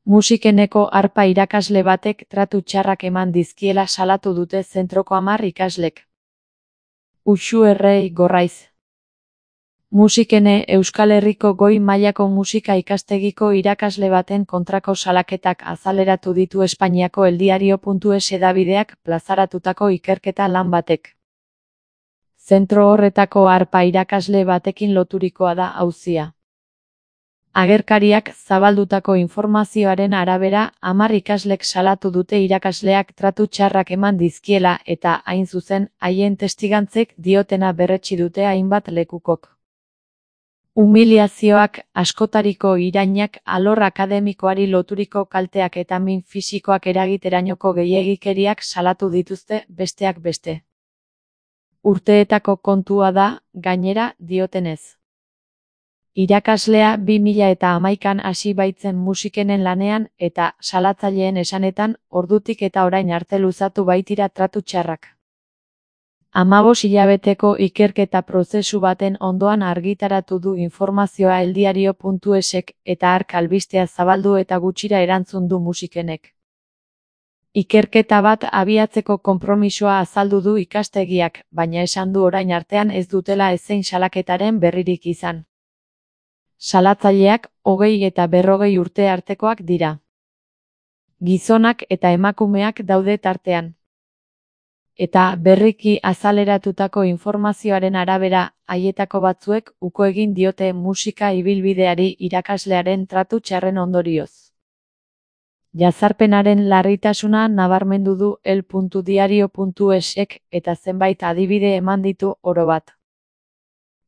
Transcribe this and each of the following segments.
Musikeneko arpa irakasle batek tratu txarrak eman dizkiela salatu dute zentroko 10 ikaslek. Uxu Errei Gorraiz. Musikene Euskal Herriko goi mailako musika ikastegiko irakasle baten kontrako salaketak azaleratu ditu Espainiako eldiario.es hedabideak plazaratutako ikerketa lan batek. Zentro horretako arpa irakasle batekin loturikoa da auzia. Agerkariak zabaldutako informazioaren arabera, 10 ikaslek salatu dute irakasleak tratu txarrak eman dizkiela eta, hain zuzen, haien testigantzek diotena berretsi dute hainbat lekukok. Humiliazioak, askotariko irainak, alor akademikoari loturiko kalteak eta min fisikoak eragiterainoko gehiegikeriak salatu dituzte, besteak beste. Urteetako kontua da, gainera, diotenez. Irakaslea 2011an hasi baitzen musikenen lanean eta, salatzaileen esanetan, ordutik eta orain arte luzatu baitira tratu txarrak. 15 hilabeteko ikerketa prozesu baten ondoan argitaratu du informazioa eldiario.esek eta hark albistea zabaldu eta gutxira erantzun du musikenek. Ikerketa bat abiatzeko konpromisoa azaldu du ikastegiak, baina esan du orain artean ez dutela ezein salaketaren berririk izan. Salatzaileak 20 eta 40 urte artekoak dira. Gizonak eta emakumeak daude tartean. Eta berriki azaleratutako informazioaren arabera, haietako batzuek uko egin diote musika ibilbideari irakaslearen tratu txarren ondorioz. Jazarpenaren larritasuna nabarmendu du el.diario.esek eta zenbait adibide eman ditu orobat.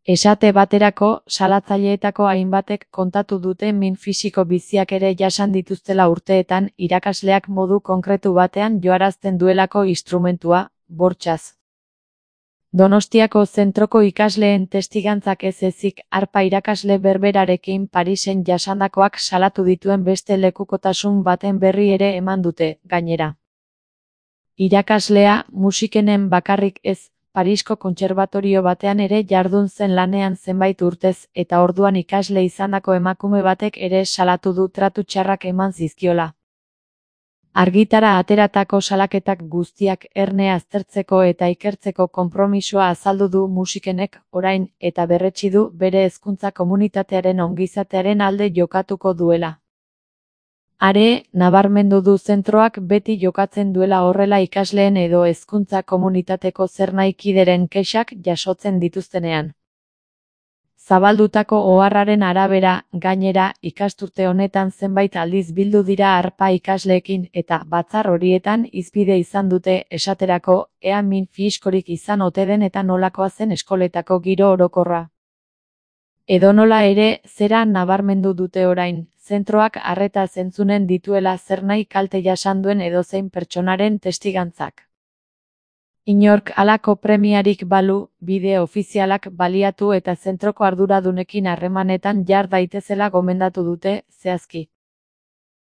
Esate baterako, salatzaileetako hainbatek kontatu dute min fisiko biziak ere jasan dituztela urteetan irakasleak modu konkretu batean joarazten duelako instrumentua, bortxaz. Donostiako zentroko ikasleen testigantzak ez ezik arpa irakasle berberarekin Parisen jasandakoak salatu dituen beste lekukotasun baten berri ere eman dute, gainera. Irakaslea, musikenen bakarrik ez, Parisko kontserbatorio batean ere jardun zen lanean zenbait urtez eta orduan ikasle izandako emakume batek ere salatu du tratu txarrak eman zizkiola. Argitara ateratako salaketak guztiak erne aztertzeko eta ikertzeko konpromisoa azaldu du musikenek orain eta berretsi du bere hezkuntza komunitatearen ongizatearen alde jokatuko duela. Are, nabarmendu du zentroak beti jokatzen duela horrela ikasleen edo hezkuntza komunitateko zernahikideren kexak jasotzen dituztenean. Zabaldutako oharraren arabera, gainera, ikasturte honetan zenbait aldiz bildu dira arpa ikasleekin eta batzar horietan hizpide izan dute esaterako ea min fiskorik izan ote den eta nolakoa zen eskoletako giro orokorra. Edonola ere, zera nabarmendu dute orain, zentroak arreta zentzunen dituela zernahi kalte jasan duen edozein pertsonaren testigantzak. Inork halako premiarik balu, bide ofizialak baliatu eta zentroko arduradunekin harremanetan jar daitezela gomendatu dute, zehazki.